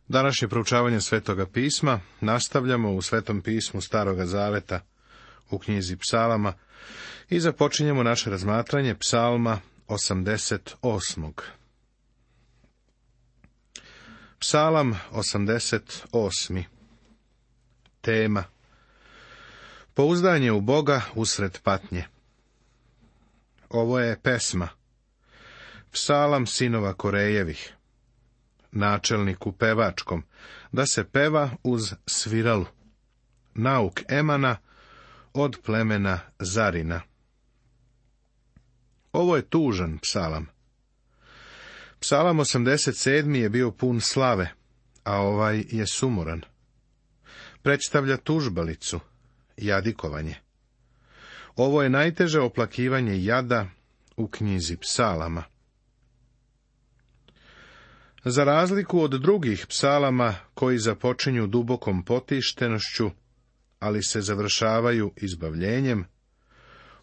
Današnje proučavanje Svetoga pisma nastavljamo u Svetom pismu Staroga zaveta u knjizi Psalama i započinjemo naše razmatranje Psalma 88. Psalam 88. Tema: Pouzdanje u Boga usred patnje. Ovo je pesma. Psalam sinova Korejevih, načelniku pevačkom, da se peva uz sviralu. Nauk Emana od plemena Zarina. Ovo je tužan psalam. Psalam 87. je bio pun slave, a ovaj je sumoran. Predstavlja tužbalicu, jadikovanje. Ovo je najteže oplakivanje jada u knjizi psalama. Za razliku od drugih psalama koji započinju dubokom potištenošću, ali se završavaju izbavljenjem,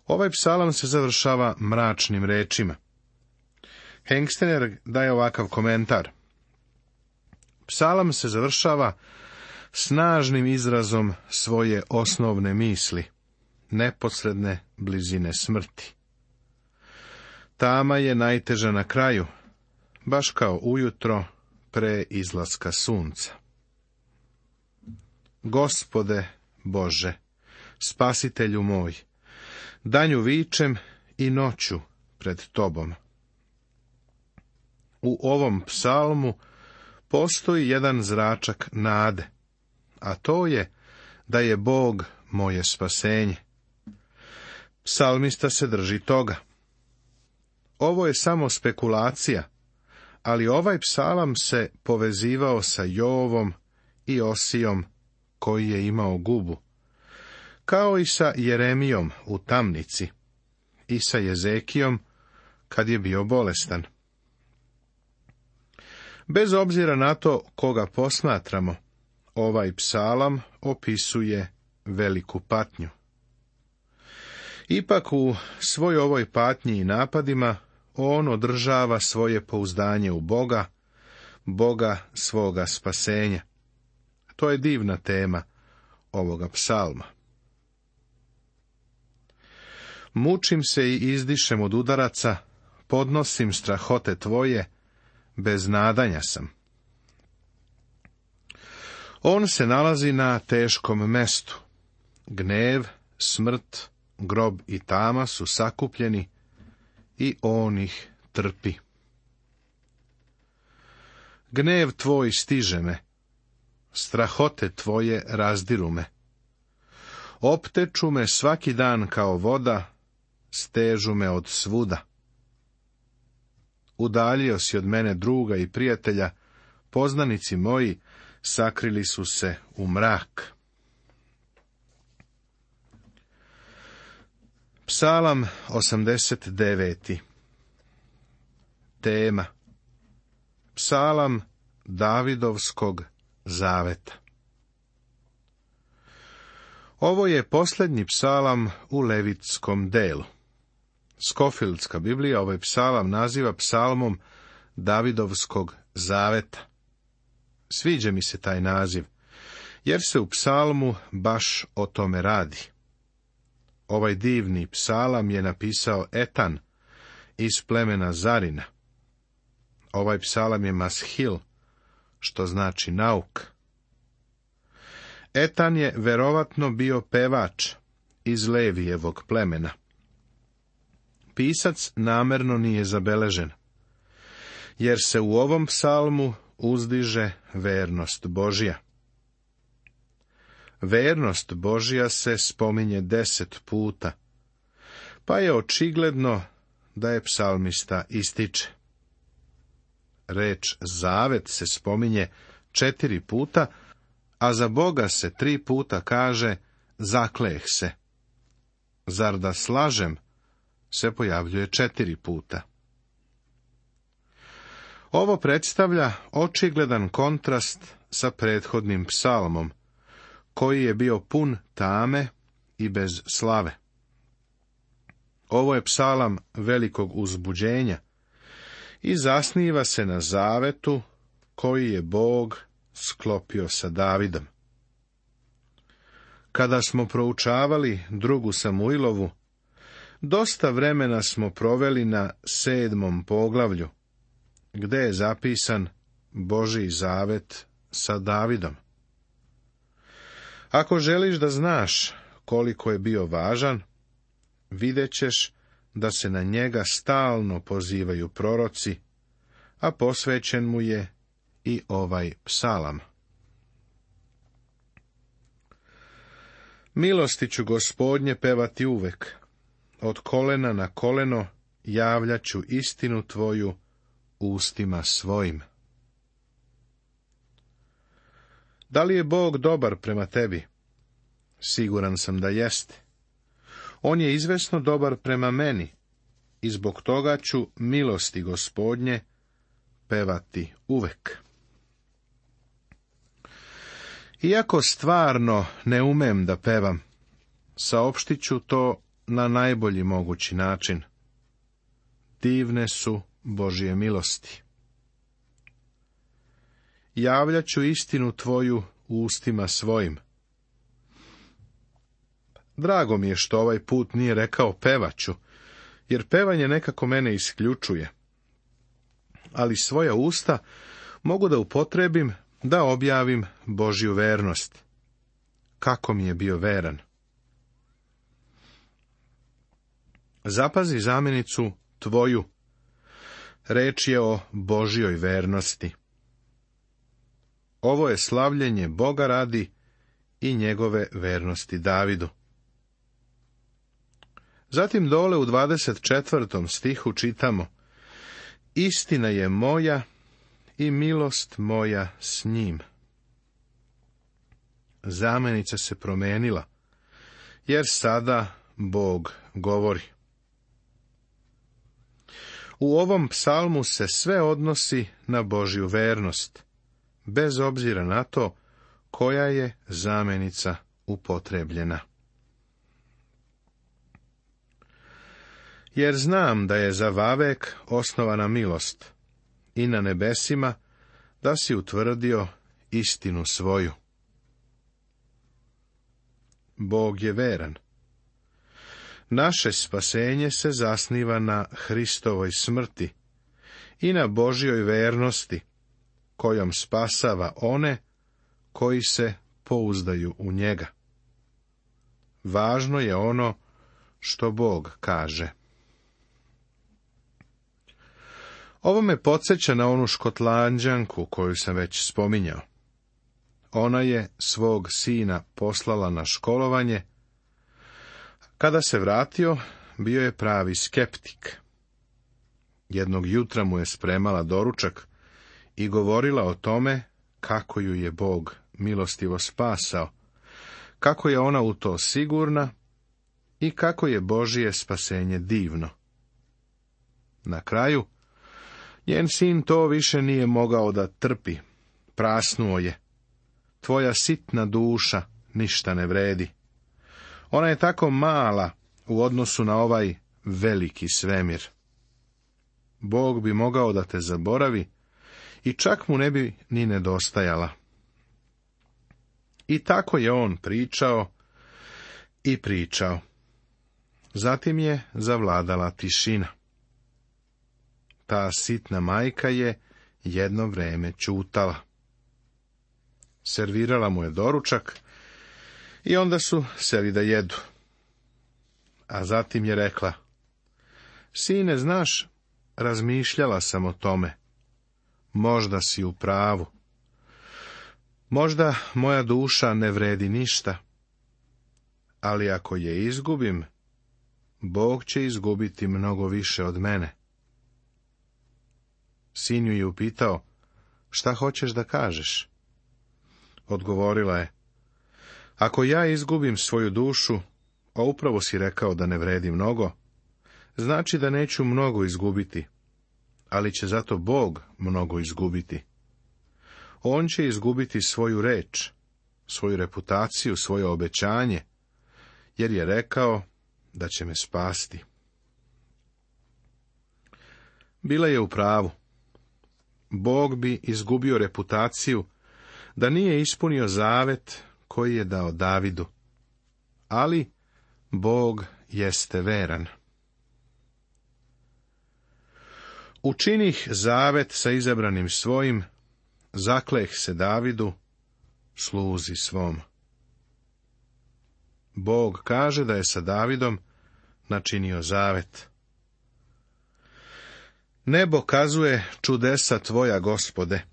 ovaj psalam se završava mračnim rečima. Hengstener daje ovakav komentar. Psalam se završava snažnim izrazom svoje osnovne misli, neposredne blizine smrti. Tama je najteža na kraju, baš kao ujutro pre izlaska sunca. Gospode Bože, spasitelju moj, danju vičem i noću pred Tobom. U ovom psalmu postoji jedan zračak nade, a to je da je Bog moje spasenje. Psalmista se drži toga. Ovo je samo spekulacija, ali ovaj psalam se povezivao sa Jovom i Osijom, koji je imao gubu, kao i sa Jeremijom u tamnici i sa Jezekijom kad je bio bolestan. Bez obzira na to koga posmatramo, ovaj psalam opisuje veliku patnju. Ipak u svoj ovoj patnji i napadima on održava svoje pouzdanje u Boga, Boga svoga spasenja. To je divna tema ovoga psalma. Mučim se i izdišem od udaraca, podnosim strahote tvoje, bez nadanja sam. On se nalazi na teškom mestu. Gnev, smrt, grob i tama su sakupljeni i on ih trpi. Gnev tvoj stiže me, strahote tvoje razdiru me. Opteču me svaki dan kao voda, stežu me od svuda. Udaljio si od mene druga i prijatelja, poznanici moji sakrili su se u mrak. Psalam 89. Tema: Psalam Davidovskog zaveta. Ovo je posljednji psalam u levitskom delu. Skofieldska Biblija ovaj psalam naziva psalmom Davidovskog zaveta. Sviđa mi se taj naziv, jer se u psalmu baš o tome radi. Ovaj divni psalam je napisao Etan iz plemena Zarina. Ovaj psalam je mashil, što znači nauk. Etan je verovatno bio pevač iz Levijevog plemena. Pisac namerno nije zabeležen, jer se u ovom psalmu uzdiže vernost Božja. Vernost Božja se spominje 10 puta, pa je očigledno da je psalmista ističe. Reč zavet se spominje 4 puta, a za Boga se 3 puta kaže zakleh se. Zar da slažem se pojavljuje 4 puta. Ovo predstavlja očigledan kontrast sa prethodnim psalmom, koji je bio pun tame i bez slave. Ovo je psalam velikog uzbuđenja i zasniva se na zavetu koji je Bog sklopio sa Davidom. Kada smo proučavali 2. Samuilovu, dosta vremena smo proveli na 7. poglavlju, gde je zapisan Božji zavet sa Davidom. Ako želiš da znaš koliko je bio važan, vidjet ćeš da se na njega stalno pozivaju proroci, a posvećen mu je i ovaj psalam. Milosti ću Gospodnje pevati uvek, od kolena na koleno javljaću istinu tvoju ustima svojim. Da li je Bog dobar prema tebi? Siguran sam da jeste. On je izvesno dobar prema meni i zbog toga ću milosti Gospodnje pevati uvek. Iako stvarno ne umem da pevam, saopštit ću to na najbolji mogući način. Divne su Božje milosti. Javljat ću istinu tvoju ustima svojim. Drago mi je što ovaj put nije rekao pevaću, jer pevanje nekako mene isključuje. Ali svoja usta mogu da upotrebim da objavim Božju vernost. Kako mi je bio veran. Zapazi zamjenicu tvoju. Reč je o Božjoj vernosti. Ovo je slavljenje Boga radi i njegove vernosti Davidu. Zatim dole u 24. stihu čitamo: Istina je moja i milost moja s njim. Zamenica se promenila, jer sada Bog govori. U ovom psalmu se sve odnosi na Božju vernost, bez obzira na to koja je zamenica upotrebljena. Jer znam da je za vavek osnovana milost i na nebesima da si utvrdio istinu svoju. Bog je veran. Naše spasenje se zasniva na Hristovoj smrti i na Božjoj vernosti, kojom spasava one koji se pouzdaju u njega. Važno je ono što Bog kaže. Ovo me podsjeća na onu Škotlanđanku koju sam već spominjao. Ona je svog sina poslala na školovanje. Kada se vratio, bio je pravi skeptik. Jednog jutra mu je spremala doručak i govorila o tome kako ju je Bog milostivo spasao, kako je ona u to sigurna i kako je Božje spasenje divno. Na kraju, njen sin to više nije mogao da trpi. Prasnuo je. Tvoja sitna duša ništa ne vredi. Ona je tako mala u odnosu na ovaj veliki svemir. Bog bi mogao da te zaboravi i čak mu ne bi ni nedostajala. I tako je on pričao i pričao. Zatim je zavladala tišina. Ta sitna majka je jedno vreme ćutala. Servirala mu je doručak i onda su seli da jedu. A zatim je rekla: Sine, znaš, razmišljala sam o tome. Možda si u pravu. Možda moja duša ne vredi ništa. Ali ako je izgubim, Bog će izgubiti mnogo više od mene. Sin ju je upitao: Šta hoćeš da kažeš? Odgovorila je: Ako ja izgubim svoju dušu, a upravo si rekao da ne vredi mnogo, znači da neću mnogo izgubiti, ali će zato Bog mnogo izgubiti. On će izgubiti svoju reč, svoju reputaciju, svoje obećanje, jer je rekao da će me spasti. Bila je u pravu. Bog bi izgubio reputaciju da nije ispunio zavet koji je dao Davidu. Ali Bog jeste veran. Učinih zavet sa izabranim svojim, zakleh se Davidu, sluzi svom. Bog kaže da je sa Davidom načinio zavet. Nebo kazuje čudesa tvoja, Gospode,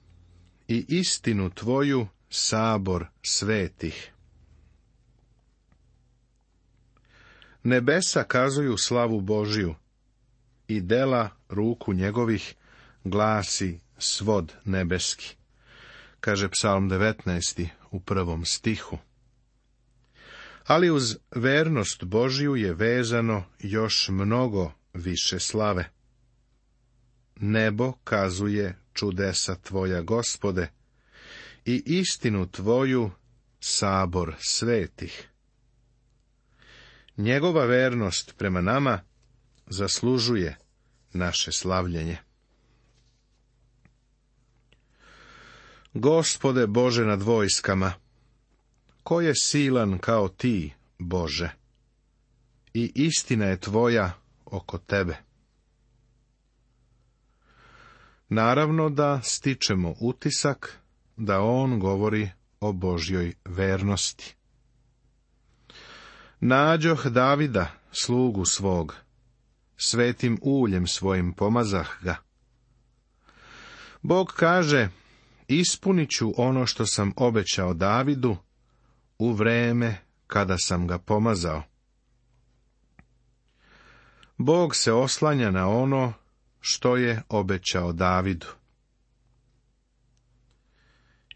i istinu tvoju sabor svetih. Nebesa kazuju slavu Božiju, i dela ruku njegovih glasi svod nebeski, kaže Psalm 19. u 1. stihu. Ali uz vernost Božiju je vezano još mnogo više slave. Nebo kazuje čudesa tvoja, Gospode, i istinu tvoju sabor svetih. Njegova vernost prema nama zaslužuje naše slavljenje. Gospode Bože nad vojskama, ko je silan kao ti, Bože, i istina je tvoja oko tebe. Naravno da stičemo utisak da on govori o Božjoj vernosti. Nađoh Davida, slugu svog, svetim uljem svojim pomazah ga. Bog kaže, ispunit ću ono što sam obećao Davidu u vreme kada sam ga pomazao. Bog se oslanja na ono što je obećao Davidu.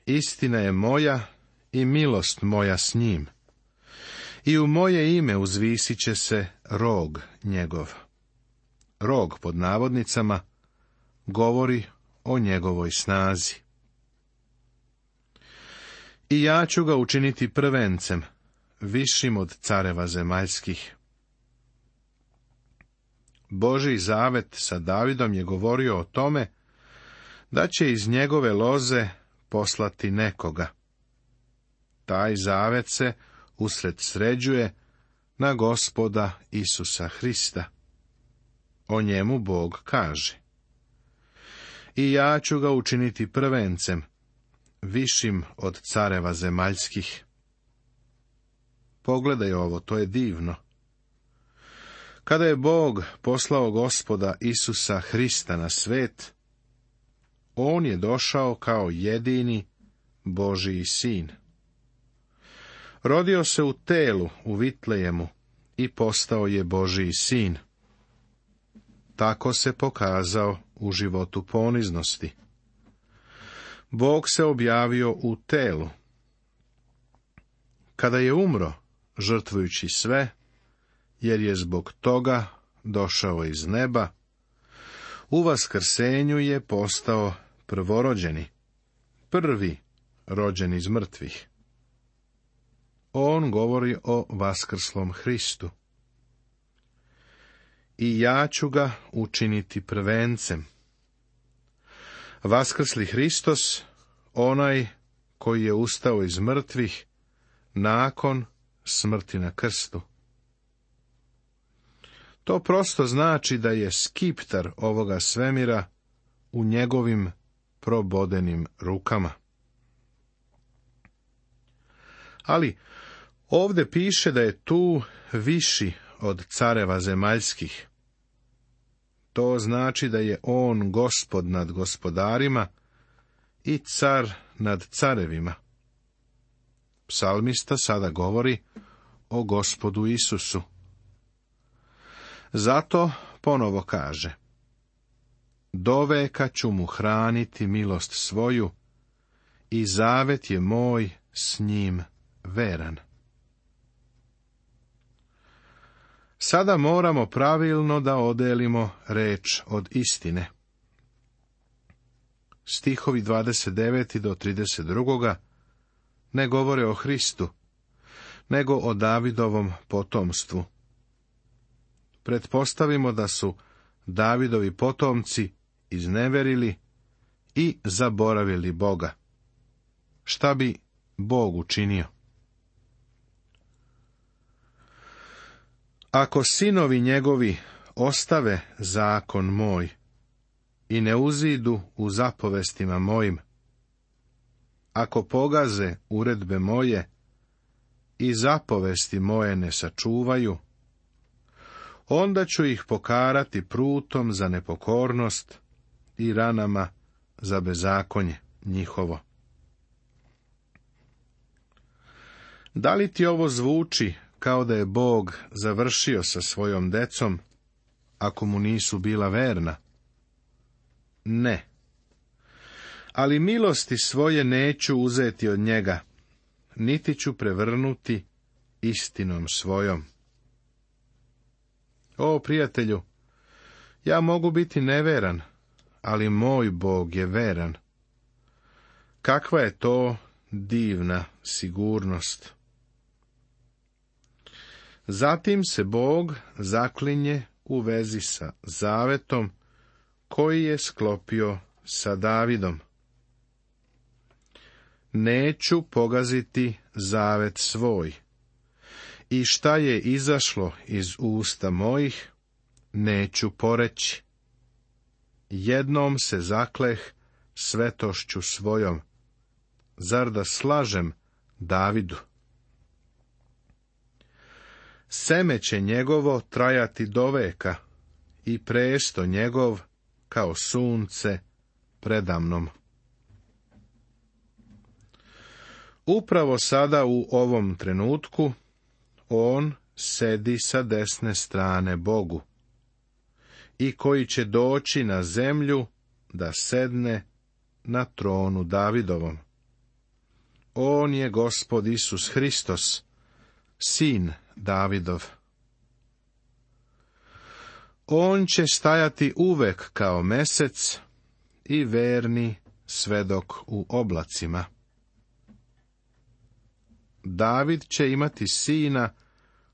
Istina je moja i milost moja s njim, i u moje ime uzvisit će se rog njegov. Rog, pod navodnicama, govori o njegovoj snazi. I ja ću ga učiniti prvencem, višim od careva zemaljskih. Božji zavet sa Davidom je govorio o tome da će iz njegove loze poslati nekoga. Taj zavet se usredsređuje na Gospoda Isusa Hrista. O njemu Bog kaže: I ja ću ga učiniti prvencem, višim od careva zemaljskih. Pogledaj ovo, to je divno. Kada je Bog poslao Gospoda Isusa Hrista na svet, on je došao kao jedini Božji sin. Rodio se u telu u Vitlejemu i postao je Božji sin. Tako se pokazao u životu poniznosti. Bog se objavio u telu. Kada je umro, žrtvujući sve, jer je zbog toga došao iz neba, u vaskrsenju je postao prvorođeni, prvi rođen iz mrtvih. On govori o vaskrslom Hristu. I ja ću ga učiniti prvencem. Vaskrsli Hristos, onaj koji je ustao iz mrtvih nakon smrti na krstu. To prosto znači da je skiptar ovoga svemira u njegovim probodenim rukama. Ali ovdje piše da je tu viši od careva zemaljskih. To znači da je on gospod nad gospodarima i car nad carevima. Psalmista sada govori o Gospodu Isusu. Zato ponovo kaže: doveka ću mu hraniti milost svoju i zavet je moj s njim veran. Sada moramo pravilno da odelimo reč od istine. Stihovi 29. do 32. ne govore o Hristu, nego o Davidovom potomstvu. Pretpostavimo da su Davidovi potomci izneverili i zaboravili Boga. šta bi Bog učinio? Ako sinovi njegovi ostave zakon moj i ne uzidu u zapovestima mojim, ako pogaze uredbe moje i zapovesti moje ne sačuvaju, onda ću ih pokarati prutom za nepokornost i ranama za bezakonje njihovo. Da li ti ovo zvuči kao da je Bog završio sa svojom decom, ako mu nisu bila verna? Ne. Ali milosti svoje neću uzeti od njega, niti ću prevrnuti istinom svojom. O, prijatelju, ja mogu biti neveran, ali moj Bog je veran. Kakva je to divna sigurnost! Zatim se Bog zaklinje u vezi sa zavetom koji je sklopio sa Davidom. Neću pogaziti zavet svoj, i šta je izašlo iz usta mojih, neću poreći. Jednom se zakleh svetošću svojom, zar da slažem Davidu? Seme će njegovo trajati do veka i presto njegov kao sunce predamnom. Upravo sada u ovom trenutku on sedi sa desne strane Bogu i koji će doći na zemlju da sedne na tronu Davidovom. On je Gospod Isus Hristos, sin Davidov. On će stajati uvek kao mesec i verni svedok u oblacima. David će imati sina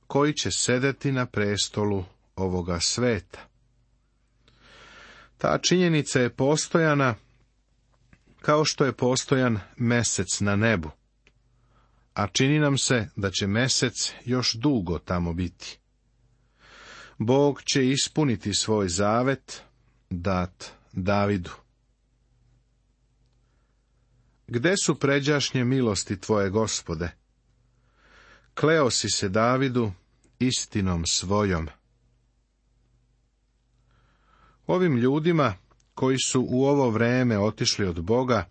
koji će sedeti na prestolu ovoga sveta. Ta činjenica je postojana kao što je postojan mesec na nebu, a čini nam se da će mesec još dugo tamo biti. Bog će ispuniti svoj zavet dat Davidu. Gde su pređašnje milosti tvoje, Gospode? Kleo si se Davidu istinom svojom. Ovim ljudima koji su u ovo vreme otišli od Boga,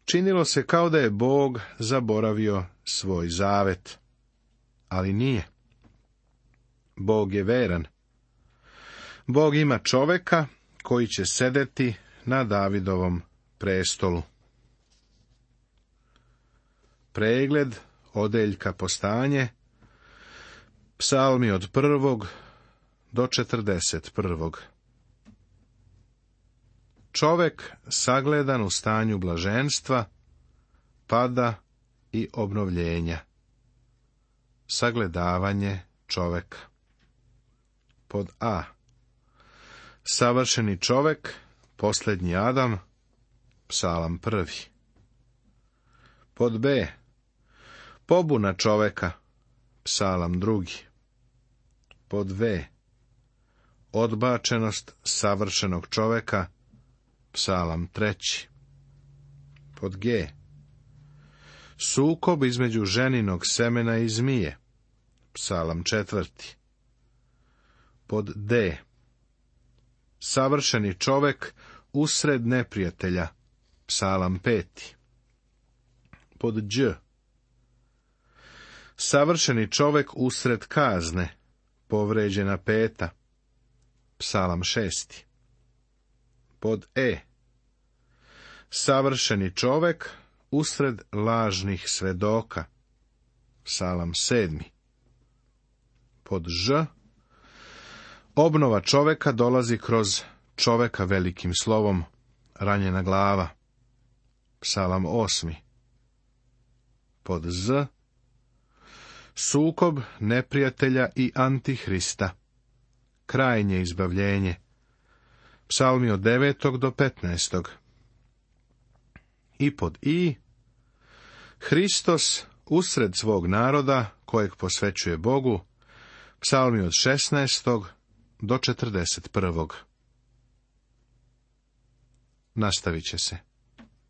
činilo se kao da je Bog zaboravio svoj zavet. Ali nije. Bog je veran. Bog ima čoveka koji će sedeti na Davidovom prestolu. Pregled odeljka Postanje, psalmi od 1. do 41. Čovek sagledan u stanju blaženstva, pada i obnovljenja. Sagledavanje čoveka. Pod A. Savršeni čovek, posljednji Adam, psalam 1. Pod B. Pobuna čoveka, psalam 2. Pod V. Odbačenost savršenog čoveka, psalam 3. Pod G. Sukob između ženinog semena i zmije, psalam 4. Pod D. Savršeni čovek usred neprijatelja, psalam 5. Pod Đ. Savršeni čovek usred kazne, povređena 5. Psalam 6. Pod E. Savršeni čovek usred lažnih svedoka, psalam 7. Pod Ž. Obnova čoveka dolazi kroz čoveka velikim slovom, ranjena glava, psalam 8. Pod Z. Sukob neprijatelja i antihrista, krajnje izbavljenje, psalmi od 9. do 15. I pod I. Hristos usred svog naroda, kojeg posvećuje Bogu, psalmi od 16. do 41. Nastavit će se.